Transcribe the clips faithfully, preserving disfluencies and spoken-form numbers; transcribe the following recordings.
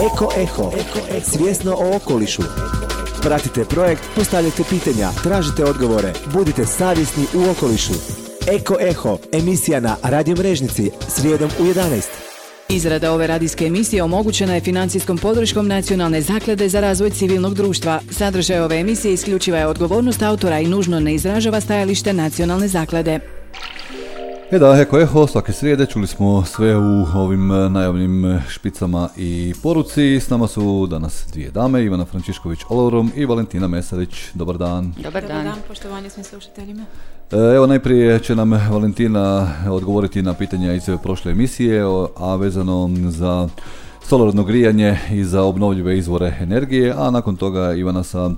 Eko Eho, svjesno o okolišu. Pratite projekt, postavljajte pitanja, tražite odgovore, budite savjesni u okolišu. Eko Eho, emisija na Radio Mrežnici, srijedom u jedanaest. Izrada ove radijske emisije omogućena je financijskom podrškom Nacionalne zaklade za razvoj civilnog društva. Sadržaj ove emisije isključiva je odgovornost autora i nužno ne izražava stajalište Nacionalne zaklade. E da, Eko Eho, svake srijede čuli smo sve u ovim najavnim špicama i poruci. S nama su danas dvije dame, Ivana Frančišković-Olorom i Valentina Mesarić. Dobar dan. Dobar dan. Dobar dan, poštovanje svim slušateljima. Evo, najprije će nam Valentina odgovoriti na pitanja iz prošle emisije, a vezano za solarno grijanje i za obnovljive izvore energije, a nakon toga Ivana sa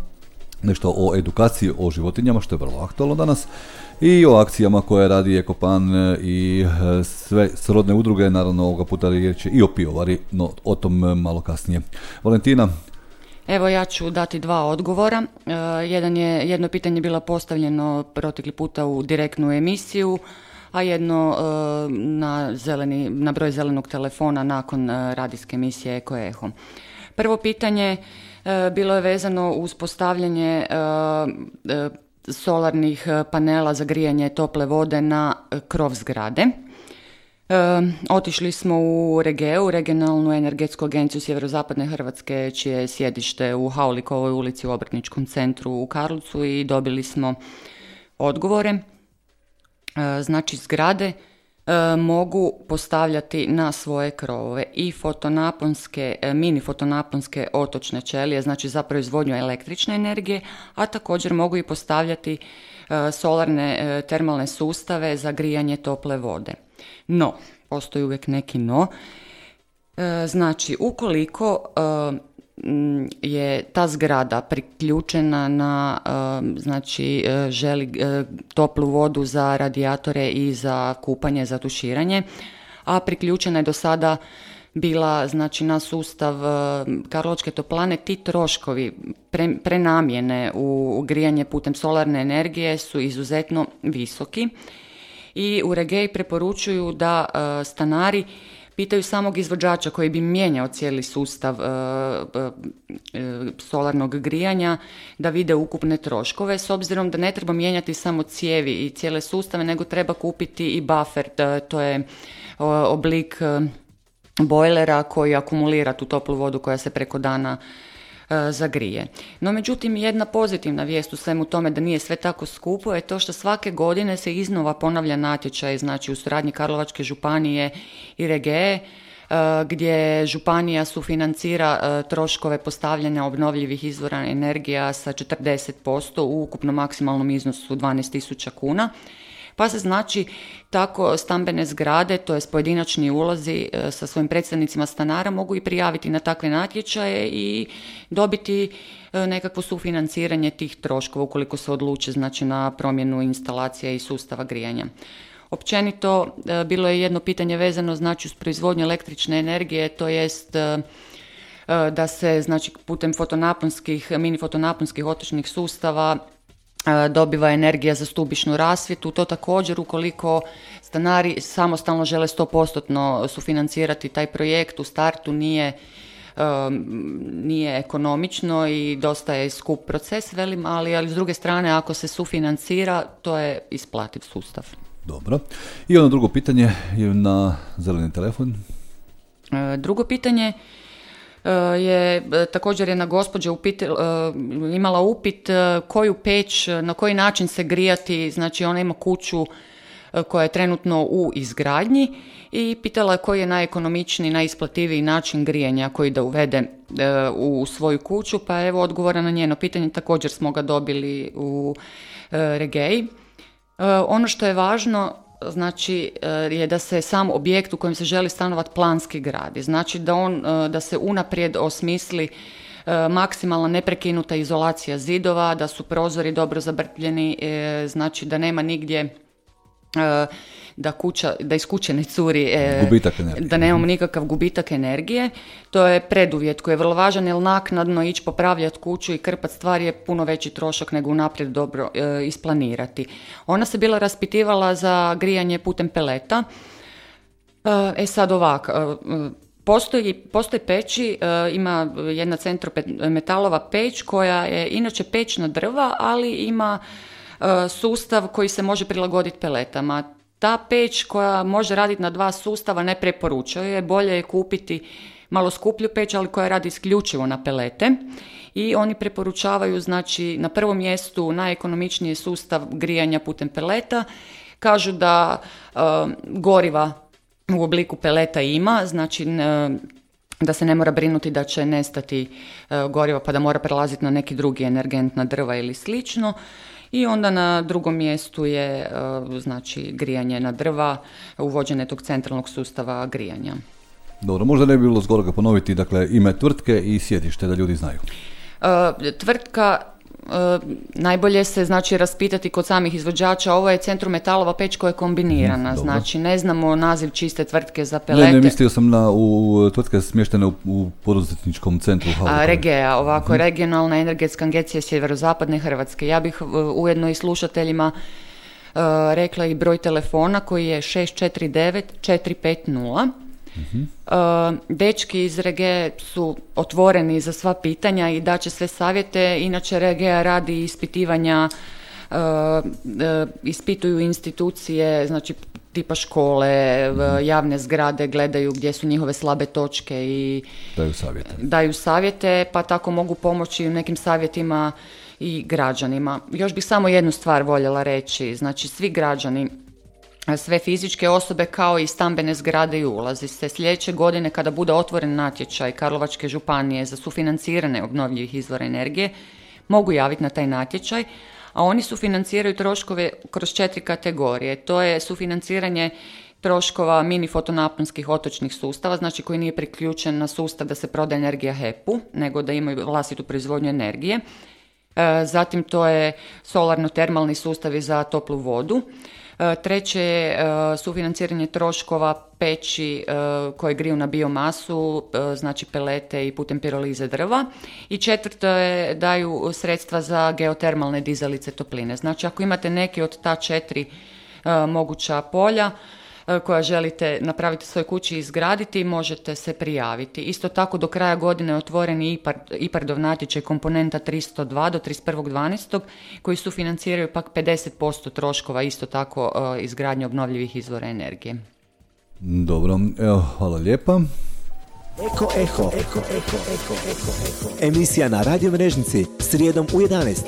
nešto o edukaciji o životinjama, što je vrlo aktualno danas, i o akcijama koje radi Ekopan i sve srodne udruge, naravno ovoga puta riječ je i o pivovari, no o tom malo kasnije. Valentina? Evo, ja ću dati dva odgovora. E, jedan je, jedno pitanje bilo postavljeno protekli puta u direktnu emisiju, a jedno e, na, zeleni, na broj zelenog telefona nakon e, radijske emisije Eko Eho. Prvo pitanje e, bilo je vezano uz postavljanje e, e, solarnih panela za grijanje tople vode na krov zgrade. E, otišli smo u Regeu, regionalnu energetsku agenciju sjeverozapadne Hrvatske, čije je sjedište u Haulikovoj ulici u Obrtničkom centru u Karlovcu, i dobili smo odgovore. E, znači, zgrade e, mogu postavljati na svoje krovove i fotonaponske, e, mini fotonaponske otočne ćelije, znači za proizvodnju električne energije, a također mogu i postavljati e, solarne e, termalne sustave za grijanje tople vode. No, postoji uvijek neki no. E, znači, ukoliko e, je ta zgrada priključena na, e, znači, e, želi e, toplu vodu za radijatore i za kupanje, za tuširanje, a priključena je do sada bila, znači, na sustav e, Karlovačke toplane, ti troškovi pre, prenamjene u grijanje putem solarne energije su izuzetno visoki. I u Regei preporučuju da e, stanari pitaju samog izvođača koji bi mijenjao cijeli sustav e, e, solarnog grijanja, da vide ukupne troškove, s obzirom da ne treba mijenjati samo cijevi i cijele sustave, nego treba kupiti i buffer, e, to je e, oblik e, bojlera koji akumulira tu toplu vodu koja se preko dana zagrije. No, međutim, jedna pozitivna vijest u svemu tome da nije sve tako skupo je to što svake godine se iznova ponavlja natječaj, znači u suradnji Karlovačke županije i Regee, gdje županija sufinancira troškove postavljanja obnovljivih izvora energija sa četrdeset posto u ukupnom maksimalnom iznosu dvanaest tisuća kuna. Pa se, znači, tako stambene zgrade, to jest pojedinačni ulozi sa svojim predstavnicima stanara, mogu i prijaviti na takve natječaje i dobiti nekakvo sufinanciranje tih troškova ukoliko se odluče, znači, na promjenu instalacija i sustava grijanja. Općenito, bilo je jedno pitanje vezano, znači, uz proizvodnju električne energije, to jest da se, znači, putem fotonaponskih, mini fotonaponskih otočnih sustava dobiva energija za stubišnu rasvjetu. To također, ukoliko stanari samostalno žele sto posto sufinancirati taj projekt, u startu nije, um, nije ekonomično i dosta je skup proces, velim, ali, ali s druge strane, ako se sufinancira, to je isplativ sustav. Dobro. I ono drugo pitanje je na zeleni telefon. E, drugo pitanje je također jedna gospođa upit, imala upit koju peć, na koji način se grijati, znači ona ima kuću koja je trenutno u izgradnji i pitala je koji je najekonomičniji, najisplativiji način grijanja koji da uvede u svoju kuću, pa evo odgovora na njeno pitanje, također smo ga dobili u Regei. Ono što je važno, znači, je da se sam objekt u kojem se želi stanovati planski gradi. Znači da, on, da se unaprijed osmisli maksimalna neprekinuta izolacija zidova, da su prozori dobro zabrtljeni, znači da nema nigdje da, kuća, da iz kuće ne curi, gubitak energije. Da nemamo nikakav gubitak energije. To je preduvjet koji je vrlo važan, jer naknadno ići popravljati kuću i krpati stvari je puno veći trošak nego unaprijed dobro e, isplanirati. Ona se bila raspitivala za grijanje putem peleta. E sad ovako, Postoji, postoji peći, uh, ima jedna centrometalova peć koja je inače peć na drva, ali ima uh, sustav koji se može prilagoditi peletama. Ta peć koja može raditi na dva sustava ne preporučuje, bolje je kupiti malo skuplju peć, ali koja radi isključivo na pelete. I oni preporučavaju, znači, na prvom mjestu najekonomičniji sustav grijanja putem peleta. Kažu da uh, goriva u obliku peleta ima, znači uh, da se ne mora brinuti da će nestati uh, goriva pa da mora prelaziti na neki drugi energent, na drva ili slično. I onda na drugom mjestu je uh, znači grijanje na drva, uvođenje tog centralnog sustava grijanja. Dobro, možda ne bi bilo zgorega ponoviti, dakle, ime tvrtke i sjedište da ljudi znaju. Uh, tvrtka, uh, najbolje se znači raspitati kod samih izvođača, ovo je Centrometalova peć koja je kombinirana, mm, znači ne znamo naziv čiste tvrtke za pelete. Ne, ne, mislio sam na u, tvrtke smještene u, u poduzetničkom centru. A, Regea, ovako, mm. regionalna energetska agencija sjeverozapadne Hrvatske. Ja bih uh, ujedno i slušateljima uh, rekla i broj telefona koji je šest četiri devet četiri pet nula. Uh-huh. Uh, dečki iz Regea su otvoreni za sva pitanja i daće sve savjete. Inače Regea radi ispitivanja, uh, uh, ispituju institucije, znači tipa škole, uh-huh. javne zgrade, gledaju gdje su njihove slabe točke i daju savjete. Daju savjete, pa tako mogu pomoći u nekim savjetima i građanima. Još bih samo jednu stvar voljela reći, znači svi građani, sve fizičke osobe kao i stambene zgrade i ulazi se sljedeće godine kada bude otvoren natječaj Karlovačke županije za sufinancirane obnovljivih izvora energije, mogu javiti na taj natječaj, a oni sufinanciraju troškove kroz četiri kategorije. To je sufinanciranje troškova mini fotonaponskih otočnih sustava, znači koji nije priključen na sustav da se proda energija H E P-u, nego da imaju vlastitu proizvodnju energije. Zatim to je solarno-termalni sustavi za toplu vodu. Treće je sufinanciranje troškova peći koje griju na biomasu, znači pelete i putem pirolize drva. I četvrto je daju sredstva za geotermalne dizalice topline. Znači ako imate neke od ta četiri moguća polja koja želite napraviti svoj kući i izgraditi, možete se prijaviti. Isto tako do kraja godine je otvoren i I P A R D-ov natječaj komponenta tristo dva do trideset prvog dvanaestog koji sufinanciraju pak pedeset posto troškova isto tako izgradnje obnovljivih izvora energije. Dobro, evo, hvala lijepa. Eko Eho, Eko, Eko, Eko, Eko, emisija na Radio Mrežnici, srijedom u jedanaest.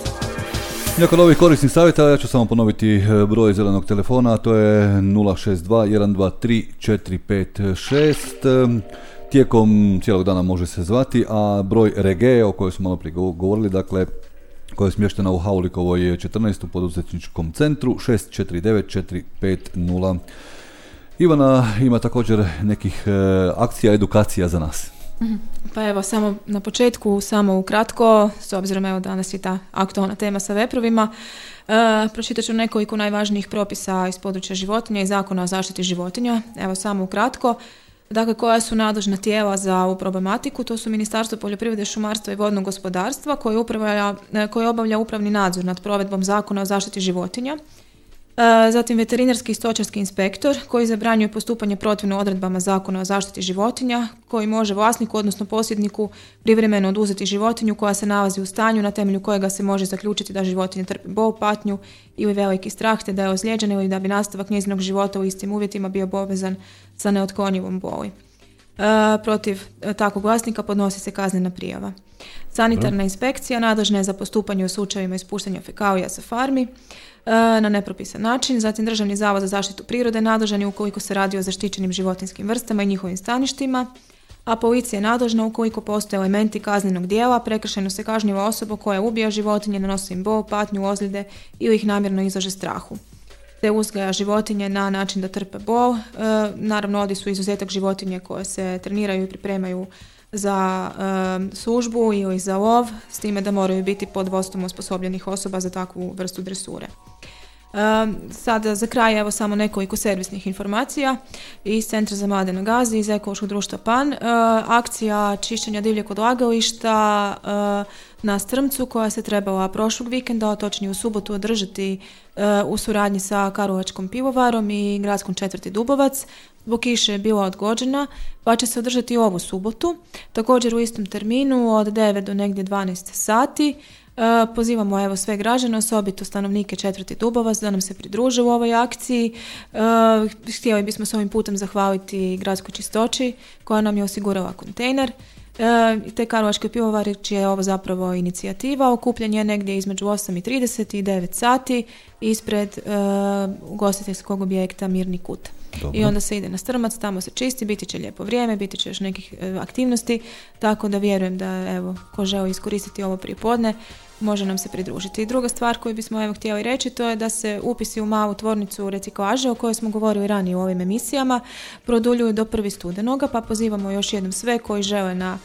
Nakon ovih korisnih savjeta ja ću samo ponoviti broj zelenog telefona, a to je nula šest dva jedan dva tri četiri pet šest. Tijekom cijelog dana može se zvati, a broj Regea o kojoj smo malo prije govorili, dakle, koja je smještena u Haulikovoj četrnaest u poduzetničkom centru, šest četiri devet četiri pet nula. Ivana ima također nekih e, akcija, edukacija za nas. Pa evo, samo na početku, samo ukratko, s obzirom evo danas je ta aktualna tema sa veprovima, e, pročitat ću nekoliko najvažnijih propisa iz područja životinja i Zakona o zaštiti životinja. Evo, samo ukratko. Dakle, koja su nadležna tijela za ovu problematiku? To su Ministarstvo poljoprivrede, šumarstva i vodnog gospodarstva koje, upravlja, koje obavlja upravni nadzor nad provedbom Zakona o zaštiti životinja. Zatim veterinarski i stočarski inspektor koji zabranjuje postupanje protivno odredbama Zakona o zaštiti životinja, koji može vlasniku, odnosno posjedniku, privremeno oduzeti životinju koja se nalazi u stanju na temelju kojega se može zaključiti da životinja trpi bol, patnju ili veliki strah, te da je ozlijeđena ili da bi nastavak njezinog života u istim uvjetima bio povezan sa neotklonjivom boli. E, protiv takvog vlasnika podnosi se kaznena prijava. Sanitarna inspekcija nadležna je za postupanje u slučajevima ispuštanja fekalija sa farmi na nepropisan način. Zatim Državni zavod za zaštitu prirode nadležan je ukoliko se radi o zaštićenim životinjskim vrstama i njihovim staništima, a policija je nadležna ukoliko postoje elementi kaznenog djela, prekršajno se kažnjava osoba koja ubija životinje, nanosi im bol, patnju, ozljede ili ih namjerno izlaže strahu, te uzgaja životinje na način da trpe bol. E, naravno, ovdje su izuzetak životinje koje se treniraju i pripremaju za e, službu ili za lov, s time da moraju biti pod vodstvom osposobljenih osoba za takvu vrstu dresure. E, sada za kraj evo samo nekoliko servisnih informacija iz Centra za mlade na Gazi, iz Ekološkog društva Pan. E, akcija čišćenja divljeg odlagališta e, na Strmcu koja se trebala prošlog vikenda, točnije u subotu, održati uh, u suradnji sa Karlovačkom pivovarom i gradskom četvrti Dubovac. Zbog kiše je bila odgođena, pa će se održati ovu subotu. Također u istom terminu od devet do negdje dvanaest sati. Uh, pozivamo evo sve građane, osobito stanovnike četvrti Dubovac da nam se pridruže u ovoj akciji. Uh, htjeli bismo s ovim putem zahvaliti gradskoj čistoći koja nam je osigurala kontejner. Uh, te Karlovačke pivovare čija je ovo zapravo inicijativa. Okupljen je negdje između osam i trideset i devet sati ispred uh, ugostiteljskog objekta Mirni kut. Dobro. I onda se ide na Strmac, tamo se čisti, biti će lijepo vrijeme, biti će još nekih e, aktivnosti, tako da vjerujem da evo, ko želi iskoristiti ovo prijepodne, može nam se pridružiti. I druga stvar koju bismo evo htjeli reći, to je da se upisi u malu tvornicu reciklaže, o kojoj smo govorili ranije u ovim emisijama, produljuju do prvog studenoga, pa pozivamo još jednom sve koji žele na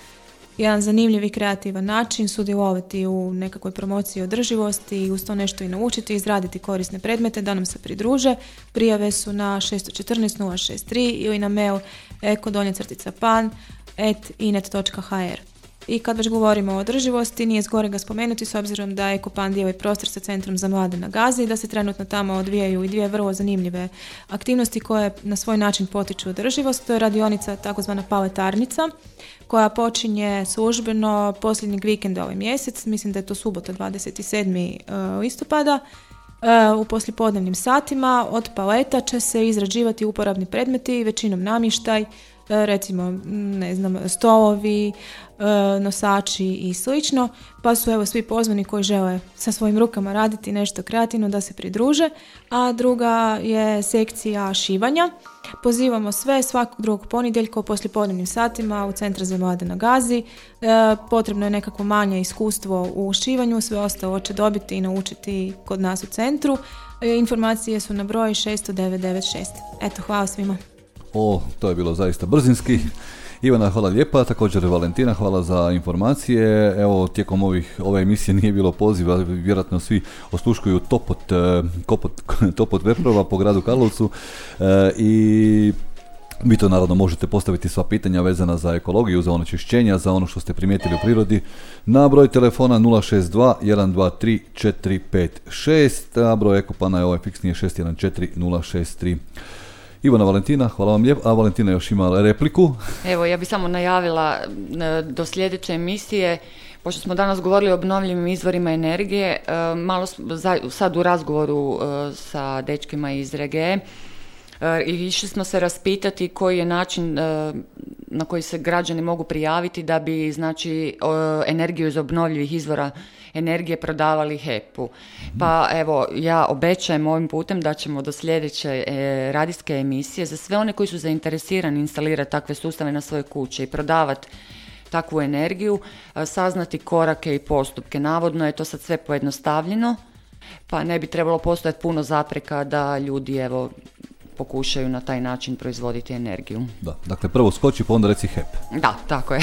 jedan zanimljiv i kreativan način sudjelovati u nekakvoj promociji održivosti i uz to nešto i naučiti, izraditi korisne predmete da nam se pridruže. Prijave su na šest jedan četiri nula šest tri ili na mail eko donja crtica pan at inet točka ha er. I kad već govorimo o održivosti, nije zgorega spomenuti s obzirom da Ekopan dijeli prostor sa Centrom za mlade na Gazi, da se trenutno tamo odvijaju i dvije vrlo zanimljive aktivnosti koje na svoj način potiču održivost. To je radionica takozvana paletarnica koja počinje službeno posljednjeg vikenda ovaj mjesec, mislim da je to subota dvadeset sedmog listopada. U poslijepodnevnim satima od paleta će se izrađivati uporabni predmeti, većinom namještaj, recimo, ne znam, stolovi, nosači i slično, pa su evo svi pozvani koji žele sa svojim rukama raditi nešto kreativno da se pridruže. A druga je sekcija šivanja. Pozivamo sve svakog drugog ponedjeljka u poslijepodnevnim satima u Centar za mlade na Gazi. E, potrebno je nekako manje iskustvo u šivanju, sve ostalo će dobiti i naučiti kod nas u centru. E, informacije su na broj šest devet devet šest. Eto, hvala svima. O, to je bilo zaista brzinski. Ivana, hvala lijepa, također Valentina, hvala za informacije. Evo, tijekom ovih, ove emisije nije bilo poziva, vjerojatno svi osluškuju topot, kopot, topot veprova po gradu Karlovcu e, i vi to naravno možete postaviti sva pitanja vezana za ekologiju, za onečišćenja, za ono što ste primijetili u prirodi na broj telefona nula šest dva jedan dva tri četiri pet šest, a broj Ekopana je ovaj fiksni šest jedan četiri nula šest tri. Ivana, Valentina, hvala vam lijepo. A Valentina još ima repliku. Evo, ja bih samo najavila do sljedeće emisije, pošto smo danas govorili o obnovljivim izvorima energije, malo sad u razgovoru sa dečkima iz Regee, i išli smo se raspitati koji je način na koji se građani mogu prijaviti da bi, znači, energiju iz obnovljivih izvora energije prodavali H E P-u. Pa evo, ja obećajem ovim putem da ćemo do sljedeće e, radijske emisije za sve one koji su zainteresirani instalirati takve sustave na svoje kuće i prodavati takvu energiju, e, saznati korake i postupke. Navodno je to sad sve pojednostavljeno, pa ne bi trebalo postojati puno zapreka da ljudi evo pokušaju na taj način proizvoditi energiju. Da, dakle prvo skoči pa onda reci H E P. Da, tako je.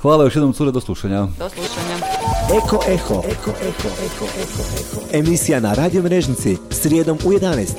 Hvala još jednom, cure, do slušanja. Do slušanja. Eko Eho. Eko Eho. Eko Eho. Emisija na Radio Mrežnici srijedom u jedanaest.